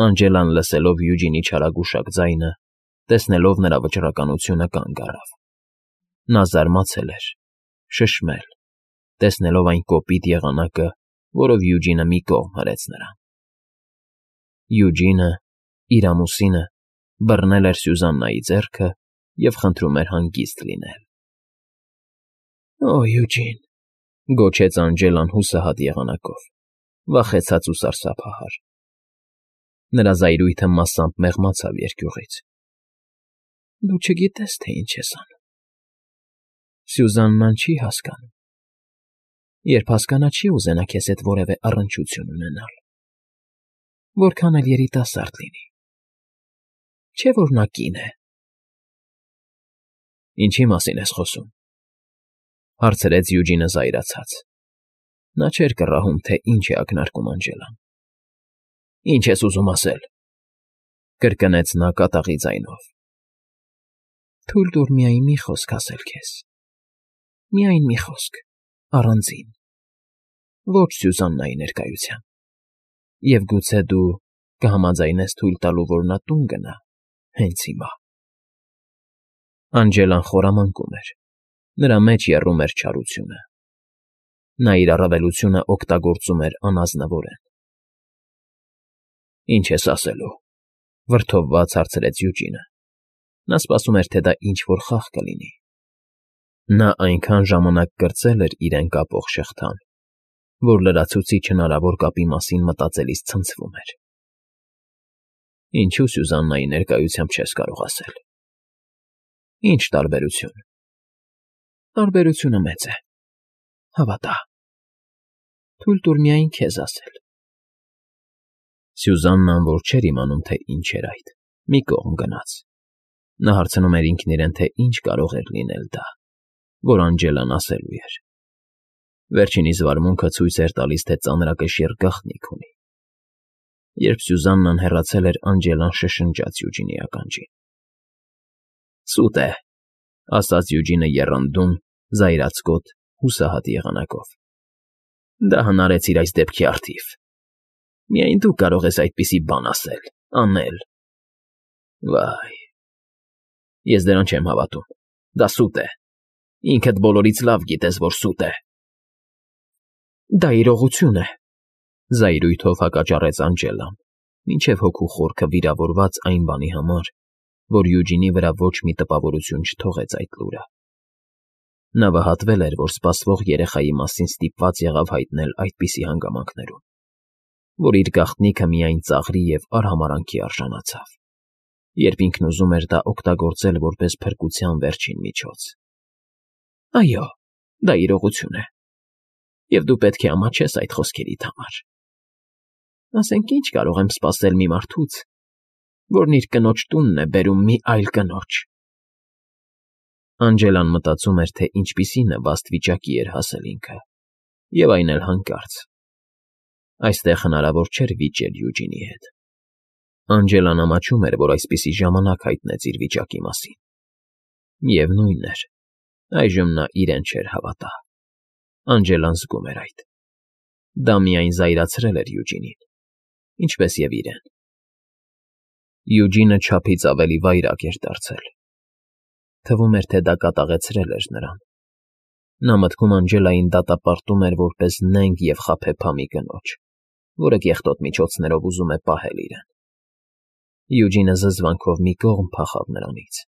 Անջելան լսելով Յուջինի չարագուշակ ձայնը, տեսնելով նրա վճռականությունը կանգ առավ։ Նա զարմացել էր, շշմել, տեսնելով այն կոպիտ եղանակը, որով Յուջինը մի կողմ հրեց նրան։ Յուջինը, իր ամուսինը, բռնել էր Սյուզաննայի ձեռքը և խնդրում էր հանգիստ լինել։ «Օ, Յուջին», գոչեց Անջելան հուսահատ եղանակով, վախեցած ու սարսափահար։ Նրա զայրույթը մասամբ մեղմացավ երկյուղից։ «Դու չգիտես, թե ինչ ես անում։ Սյուզաննան չի հասկանում։ Երբ հասկանա, չի ուզենա քեզ հետ որևէ առնչություն ունենալ, որքան էլ երիտասարդ լինի։ Չէ՞ որ նա կին է»։ «Ինչի մասին ես խոսում,֊ հարցրեց Յուջինը զայրացած։ Նա չէր կռահում, թե ինչ է ակնարկում Անջելան։ «Ինչ ես ուզում ասել,֊ կրկնեց նա կատաղի ձայնով։ Թույլ տուր միայն մի խոսք ասել քեզ։ Միայն մի խոսք, առանձին, ոչ Սյուզաննայի ներկայությամբ, և գուցե դու կհամաձայնես թույլ տալու, որ նա տուն գնա հենց հիմա»։ Անջելան խորամանկում էր, նրա մեջ եռում էր չարությունը։ Նա իր առավելությունը օգտագործում էր անազնվորեն։ «Ինչ ես ասելու,֊ վրդովված հարցրեց Յուջինը։ Նա սպասում էր, թե դա ինչ֊որ խաղ կլինի։ Նա այնքան ժամանակ կրծել էր իրեն կապող շղթան, որ լրացուցիչ հնարավոր կապի մասին մտածելիս ցնցվում էր։ «Ինչու Սյուզաննայի ներկայությամբ չես կարող ասել։ Ինչ տարբերություն»։ «Տարբերությունը մեծ է, հավատա։ Թույլ տուր միայն քեզ ասել»։ Սյուզաննան, որ չէր իմանում, թե ինչ էր այդ, մի կողմ գնաց։ Նա հարցնում էր ինքն իրեն, թե ինչ կարող էր լինել դա, որ Անջելան ասելու էր։ Վերջինիս վարմունքը ցույց էր տալիս, թե ծանրակշիռ գաղտնիք ունի։ Երբ Սյուզաննան հեռացել էր, Անջելան շշնջաց Յուջինի ականջին։ «Սուտ է,֊ ասաց Յուջինը եռանդուն, զայրացկոտ, հուսահատ եղանակով։ Դա հնարեցիր այս դեպքի առթիվ։ Միայն դու կարող ես այդպիսի բան ասել, անել։ Վայ, ես դրան չեմ հավատում։ Դա սուտ է։ Ինքդ բոլորից լավ գիտես, որ սուտ է»։ «Դա իրողություն է,֊ զայրույթով հակաճառեց Անջելան, մինչև հոգու խորքը վիրավորված այն բանի համար, որ Յուջինի վրա ոչ մի տպավորություն չթողեց այդ լուրը։ Նա վհատվել էր, որ սպասվող երեխայի մասին ստիպված եղավ հայտնել այդպիսի հանգամանքներում, որ իր գաղտնիքը միայն ծաղրի և արհամարհանքի արժանացավ, երբ ինքն ուզում էր դա օգտագործել որպես փրկության վերջին միջոց։ «Այո, դա իրողություն է, և դու պետք է ամաչես այդ խոսքերիդ համար։ Ասենք ինչ կարող եմ սպասել մի մարդուց, որն իր կնոջ տունն է բերում մի այլ կնոջ»։ Անջելան մտածում էր, թե ինչպիսի նվաստ վիճակի էր հասել ինքը, և այն էլ հանկարծ։ Այստեղ հնարավոր չէր վիճել Յուջինի հետ։ Անջելան ամաչում էր, որ այսպիսի ժամանակ հայտնեց իր վիճակի մասին։ Միևնույն էր, այժմ նա իրեն չէր հավատա։ Անջելան զգում էր այդ։ Դա միայն զայրացրել էր Յուջինին, ինչպես և իրեն։ Յուջինը չափից ավելի վայրագ էր դարձել։ Թվում էր, թե դա կատաղեցրել էր նրան։ Նա մտքում Անջելային դատապարտում էր որպես նենգ և խաբեբա մի կնոջ, որը կեղտոտ միջոցներով ուզում է պահել իրեն։ Յուջինը զզվանքով մի կողմ փախավ նրանից,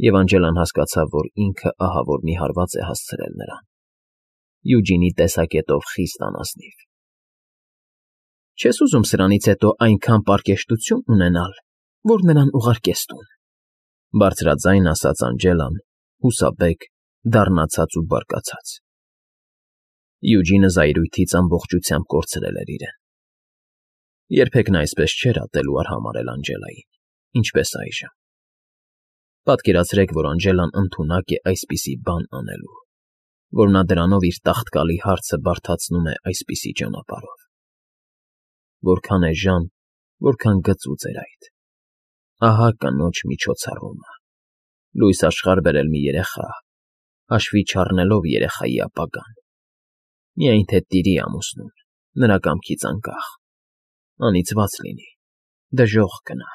և Անջելան հասկացավ, որ ինքը ահավոր մի հարված է հասցրել նրան։ Յուջինի տեսակետով խիստ անազնիվ։ «Չես ուզում սրանից հետո այնքան պարկեշտություն ունենալ, որ նրան ուղարկես տուն,֊ բարձրաձայն ասաց Անջելան, հուսաբեկ, դառնացած ու բարկացած։ Յուջինը զայրույթից ամբողջությամբ կորցրել էր իրեն։ Երբեք նա այսպես չէր ատել ու արհամարհել Անջելային, ինչպես այժմ։ Պատկերացրեք, որ Անջելան ընդունակ է այսպիսի բան անելու, որ նա դրանով իր տաղտկալի հարցը բարդացնում է այսպիսի ճանապարհով։ Որքան էժան, որքան գծուծ էր այդ։ Ահա կնոջ միջոցառումը, լույս աշխարհ բերել մի երեխա, հաշվի չառնելով երեխայի ապագան։ Միայն թե տիրի ամուսնուն, նրա կամքից անկախ, անիծված լինի, Դժոխք կնա։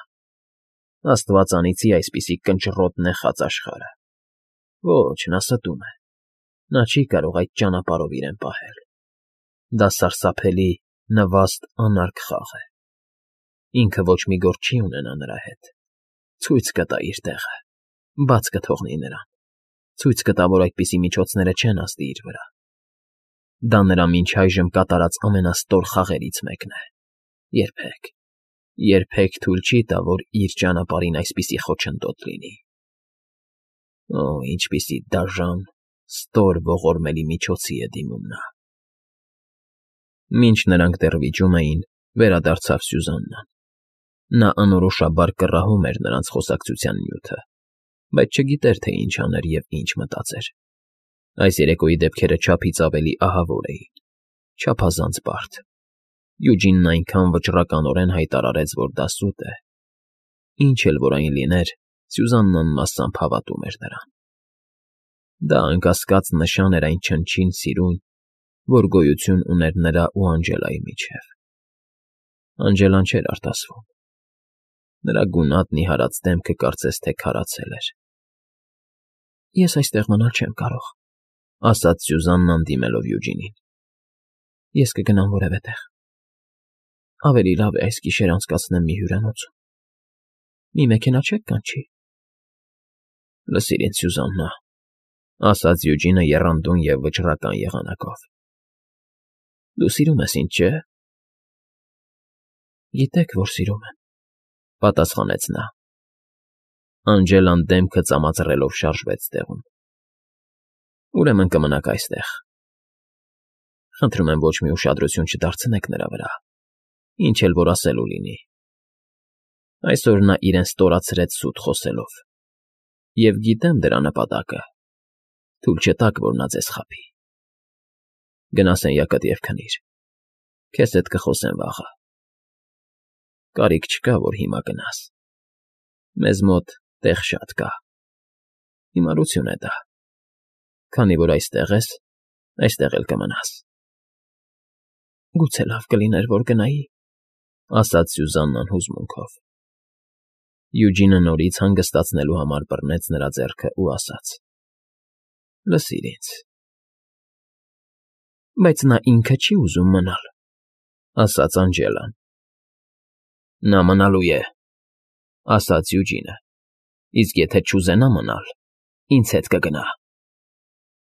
Աստված անիծի այսպիսի կնճռոտ նեխած աշխարհը։ Ոչ, նա ստում է։ Նա չի կարող այդ ճանապարհով իրեն պահել։ Դա սարսափելի, նվաստ, անարգ խաղ է։ Ինքը ոչ մի գործ չի ունենա նրա հետ։ Ցույց կտա իր տեղը, բաց կթողնի նրան, ցույց կտա, որ այդպիսի միջոցները չեն ազդի իր վրա։ Դա նրա մինչ այժմ կատարած ամենաստոր խաղերից մեկն է։ Երբեք, երբեք թույլ չի տա, որ իր ճանապարհին այսպիսի խոչընդոտ լինի։ Օ, ինչպիսի դաժան, ստոր ողորմելի միջոցի է դիմում նա։ Մինչ նրանք դեռ վիճում էին, վերադարձավ Սյուզաննան։ Նա անորոշաբար կռահում էր նրանց խոսակցության նյութը, բայց չգիտեր, թե ինչ աներ և ինչ մտածեր։ Այս երեկոյի դեպքերը չափից ավելի ահավոր էին, չափազանց բարդ։ Յուջինն այնքան վճռականորեն հայտարարեց, որ դա սուտ է։ Ինչ էլ որ այն լիներ, Սյուզաննան մասամբ հավատում էր նրան։ Դա անկասկած նշան էր այն չնչին սիրուն, որ գոյություն ուներ նրա ու Անջելայի միջև։ Անջելան չէր արտասվում։ Նրա գունատ նիհարած դեմքը կարծես թե քարացել էր։ Ես այստեղ մնալ չեմ կարող, ասաց Սյուզաննան դիմելով Յուջինին։ Ես կգնամ որևէ տեղ։ Ավելի լավ է այս գիշեր անցկացնեմ մի հյուրանոցում։ Մի մեքենա չեք կանչի։ Լսիր ինձ, Սյուզաննա, ասաց Յուջինը եռանդուն և վճռական եղանակով։ Դու սիրում ես ինձ, չէ՞։ Գիտեք, որ սիրում եմ, պատասխանեց նա։ Անջելան դեմքը ծամածռելով շարժվեց տեղում։ Ուրեմն կմնաք այստեղ։ Խնդրում եմ ոչ մի ուշադրություն չդարձնեք նրա վրա, ինչ էլ որ ասելու լինի։ Այսօր նա իրեն ստորացրեց սուտ խոսելով։ Եվ գիտեմ դրա նպատակը։ Թույլ չտաք, որ նա ձեզ խաբի։ Գնա սենյակդ և քնիր։ Քեզ հետ կխոսեմ վաղը։ Կարիք չկա, որ հիմա գնաս։ Մեզ մոտ տեղ շատ կա։ Հիմարություն է դա։ Քանի որ այստեղ ես, այստեղ էլ կմնաս։ Գուցե լավ կլիներ, որ գնայի, ասաց Սյուզաննան հուզմունքով։ Յուջինը նորից հանգստացնելու համար բռնեց նրա ձեռքը ու ասաց. Լսիր ինձ։ Բայց նա ինքը չի ուզում մնալ, ասաց Անջելան։ Նա մնալու է, ասաց Յուջինը, իսկ եթե չուզենա մնալ, ինձ հետ կգնա։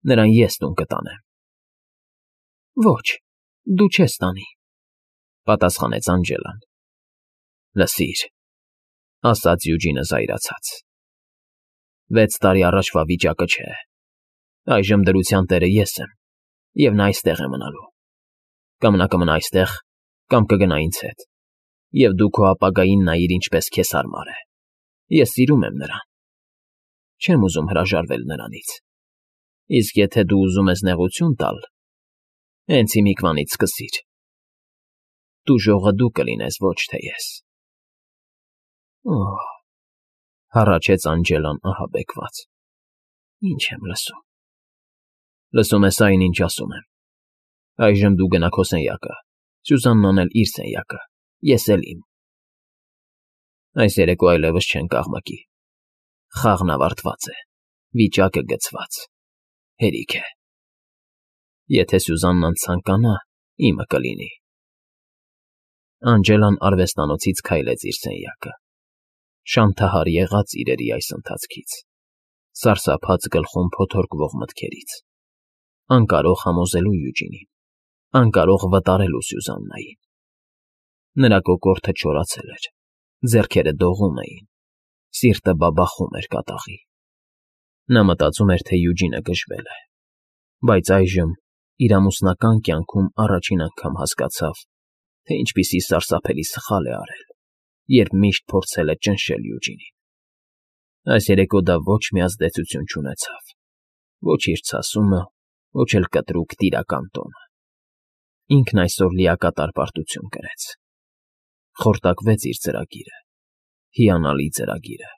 Նրան ես տուն կտանեմ։ Ոչ, դու չես տանի, պատասխանեց Անջելան։ Լսիր, ասաց Յուջինը զայրացած։ 6 տարի առաջվա վիճակը չէ։ Այժմ դրության տերը ես եմ, և նա այստեղ է մնալու։ Կամ նա կմնա այստեղ, կամ կգնա ինձ հետ, և դու քո ապագային նայիր ինչպես քեզ հարմար է։ Ես սիրում եմ նրան։ Չեմ ուզում հրաժարվել նրանից։ Իսկ եթե դու ուզում ես նեղություն տալ, հենց հիմիկվանից սկսիր։ Դու ժողը դու կլինես, ոչ թե ես։ Օհ, հառաչեց Անջելան ահաբեկված։ Ինչ եմ լսում։ Լսում ես այն, ինչ ասում եմ։ Այժմ դու գնա քո սենյակը, Սյուզաննան էլ իր սենյակը, ես էլ իմ։ Այս երեկո այլևս չենք աղմկի։ Խաղն ավարտված է, վիճակը գցված, հերիք է։ Եթե Սյուզաննան ցանկանա, իմը կլինի։ Անջելան արվեստանոցից քայլեց իր սենյակը։ Շանթահար եղած իրերի այս ընթացքից, սարսափած գլխում փոթորկվող մտքերից, անկարող համոզելու Յուջինին, անկարող վտարելու Սյուզաննային։ Նրա կոկորդը չորացել էր, ձեռքերը դողում էին, սիրտը բաբախում էր կատաղի։ Նա մտածում էր, թե Յուջինը գժվել է, բայց այժմ իր ամուսնական կյանքում առաջին անգամ հասկացավ, թե ինչպիսի սարսափելի սխալ է արել, երբ միշտ փորձել է ճնշել Յուջինին։ Այս երեկո դա ոչ մի ազդեցություն չունեցավ, ոչ իր ցասումը, ոչ էլ կտրուկ տիրական տոնը։ Ինքն այսօր լիակատար պարտություն կրեց։ Խորտակվեց իր ծրագիրը, հիանալի ծրագիրը։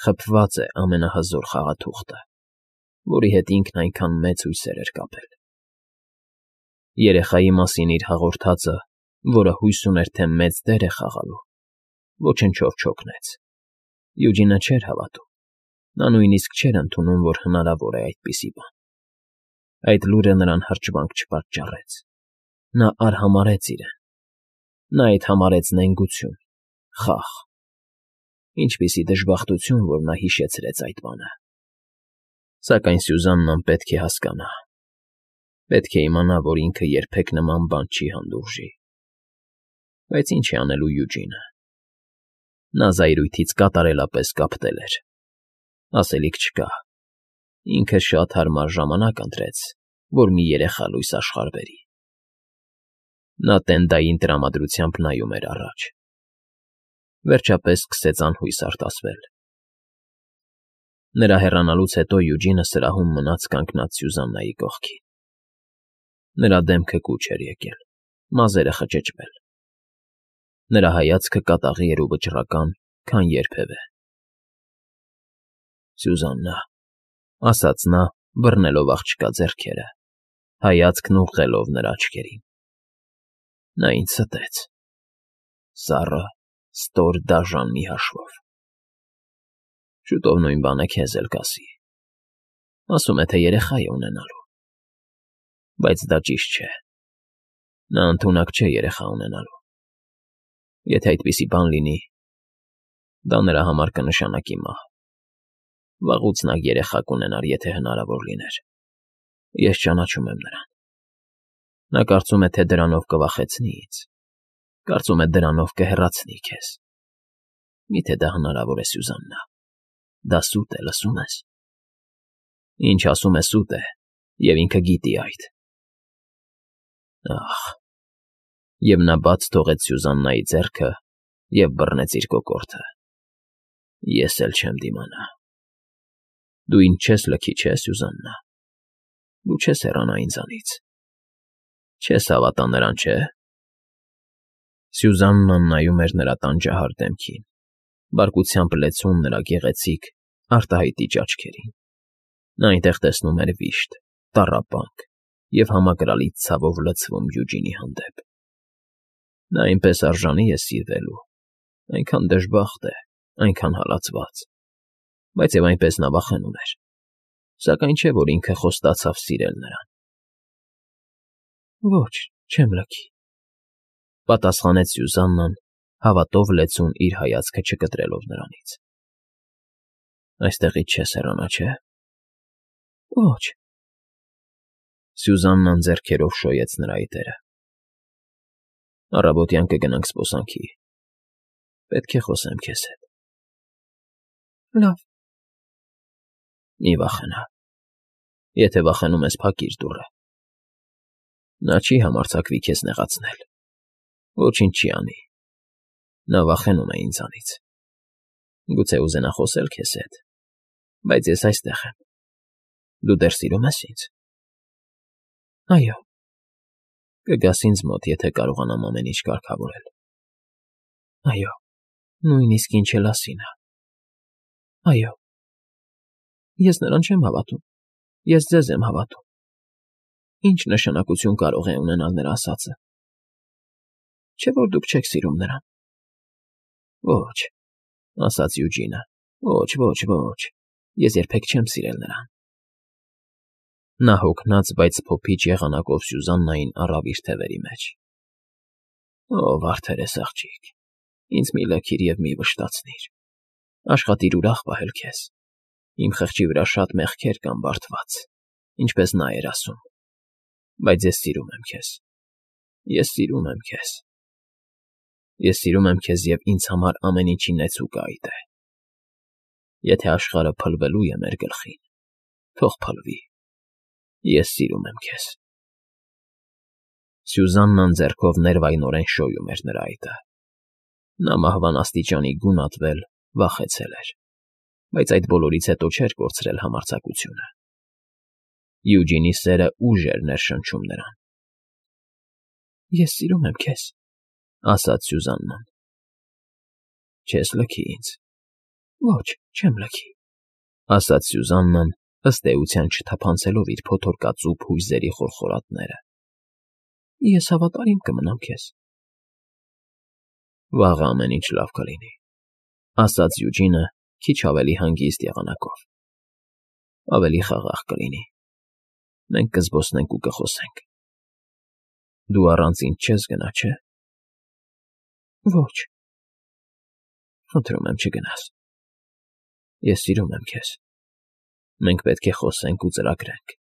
Խփված է ամենահզոր խաղաթուղթը, որի հետ ինքն այնքան մեծ հույսեր էր կապել։ Երեխայի մասին իր հաղորդածը, որը հույս ուներ, թե մեծ դեր է խաղալու, ոչնչով չօգնեց։ Յուջինը չէր հավատում։ Նա նույնիսկ չէր ընդունում, որ հնարավոր է այդպիսի բան։ Այդ լուրը նրան հրճվանք չպատճառեց։ Նա արհամարհեց իրեն։ Նա այդ համարեց նենգություն, խախ։ Ինչպիսի դժբախտություն, որ նա հիշեցրեց այդ բանը։ Սակայն Սյուզաննան պետք է հասկանա։ Պետք է իմանա, որ ինքը երբեք նման բան չի հանդուրժի։ Բայց ինչ է անելու Յուջինը։ Նա զայրույթից կատարելապես կապտել էր։ Ասելիք չկա։ Ինքը շատ հարմար ժամանակ ընտրեց, որ մի երեխա լույս աշխարհ բերի։ Նա տենդային տրամադրությամբ նայում էր առաջ։ Վերջապես սկսեց անհույս արտասվել։ Նրա հեռանալուց հետո Յուջինը սրահում մնաց կանգնած Սյուզաննայի կողքին։ Նրա դեմքը կուչ էր եկել, մազերը խճճվել։ Նրա հայացքը կատաղի էր ու վճռական, քան երբևէ։ Սյուզաննա, ասաց նա, բռնելով աղջկա ձեռքերը, հայացքն ուղղելով նրա աչքերին։ Նա ինձ ստեց։ Սառը, ստոր դաժան մի հաշվով։ Շուտով նույն բանը քեզ էլ կասի։ Ասում է, թե երեխա է ունենալու։ Բայց դա ճիշտ չէ։ Նա ընդունակ չէ երեխա ունենալու։ Եթե այդպիսի բան լինի, դա նրա համար կնշանակի մահ։ Վաղուց նա երեխա կունենար, եթե հնարավոր լիներ։ Ես ճանաչում եմ նրան։ Նա կարծում է, թե դրանով կվախեցնի ինձ։ Կարծում է դրանով կհեռացնի քեզ։ Միթե դա հնարավոր է, Սյուզաննա։ Դա սուտ է, լսում ես։ Ինչ ասում է սուտ է, և ինքը գիտի այդ։ Ախ։ Եվ նա բաց թողեց Սյուզաննայի ձեռքը և բռնեց իր կոկորդը։ Ես էլ չեմ դիմանա։ Դու ինձ չես լքի, չէ՞, Սյուզաննա։ Դու չես հեռանա ինձանից։ Չես հավատա նրան, չէ՞։ Սյուզաննան նայում էր նրա տանջահար դեմքին, բարկությամբ լեցուն նրա գեղեցիկ, արտահայտիչ աչքերին։ Նա այնտեղ տեսնում էր վիշտ, տառապանք և համակրալից ցավով լցվում Յուջինի հանդեպ։ Նա այնպես արժանի է սիրվելու, այնքան դժբախտ է, այնքան հալածված, բայց և այնպես նա վախենում էր, սակայն չէ, որ ինքը խոստացավ սիրել նրան։ Ոչ, չեմ լքի, պատասխանեց Սյուզաննան, հավատով լեցուն իր հայացքը չկտրելով նրանից։ Այստեղից չես հեռանա, չէ՞։ Ոչ։ Սյուզաննան ձեռքերով շոյեց նրա այտերը։ Առավոտյան կգնանք զբոսանքի։ Պետք է խոսեմ քեզ հետ։ Լավ։ Մի վախենա։ Եթե վախենում ես, փակիր դուռը։ Նա չի համարձակվի քեզ նեղացնել։ Ոչինչ չի անի։ Նա վախենում է ինձանից։ Գուցե ուզենա խոսել քեզ հետ, բայց ես այստեղ եմ։ Դու դեռ սիրում ես ինձ։ Այո։ Կգաս ինձ մոտ, եթե կարողանամ ամեն ինչ կարգավորել։ Այո, նույնիսկ ինչ էլ ասի նա։ Այո։ Ես նրան չեմ հավատում։ Ես ձեզ եմ հավատում։ Ինչ նշանակություն կարող է ունենալ նրա ասածը։ Չէ՞ որ դուք չեք սիրում նրան։ Ոչ, ասաց Յուջինը։ Ոչ, ոչ, ոչ։ Ես երբեք չեմ սիրել նրան։ Նա հոգնած, բայց փոփիչ եղանակով Սյուզաննային առավ իր թևերի մեջ։ Ո՜վ վարդերես աղջիկ, ինձ մի լքիր և մի վշտացնիր։ Աշխատիր ուրախ պահել քեզ։ Իմ խղճի վրա շատ մեղքեր կան բարդված, ինչպես նա էր ասում։ Բայց ես սիրում եմ քեզ։ Ես սիրում եմ քեզ։ Ես սիրում եմ քեզ և ինձ համար ամեն ինչինից ու կայդ է։ Եթե աշխարհը փլվելու է մեր գլխին, թող փլվի։ Ես սիրում եմ քեզ։ Սյուզաննան ձեռքով ներվայնորեն շոյում էր նրա այտը։ Նա մահվան աստիճանի գունատվել, վախեցել էր, բայց այդ բոլորից հետո չէր կորցրել համարձակությունը։ Յուջինի սերը ուժ էր ներշնչում նրան։ Ես սիրում եմ քեզ, ասաց Սյուզաննան։ Չես լքի ինձ։ Ոչ, չեմ լքի, ասաց Սյուզաննան, ըստ էության չթափանցելով իր փոթորկածուփ հույզերի խորխորատները։ Ես հավատարիմ կմնամ քեզ։ Վաղը ամեն ինչ լավ կլինի, ասաց Յուջինը քիչ ավելի հանգիստ եղանակով։ Ավելի խաղաղ կլինի։ Մենք կզբոսնենք ու կխոսենք։ Դու առանց ինձ չես գնա, չէ՞։ Ոչ։ Խնդրում եմ, չգնաս։ Ես սիրում եմ քեզ։ Մենք պետք է խոսենք ու ծրագրենք։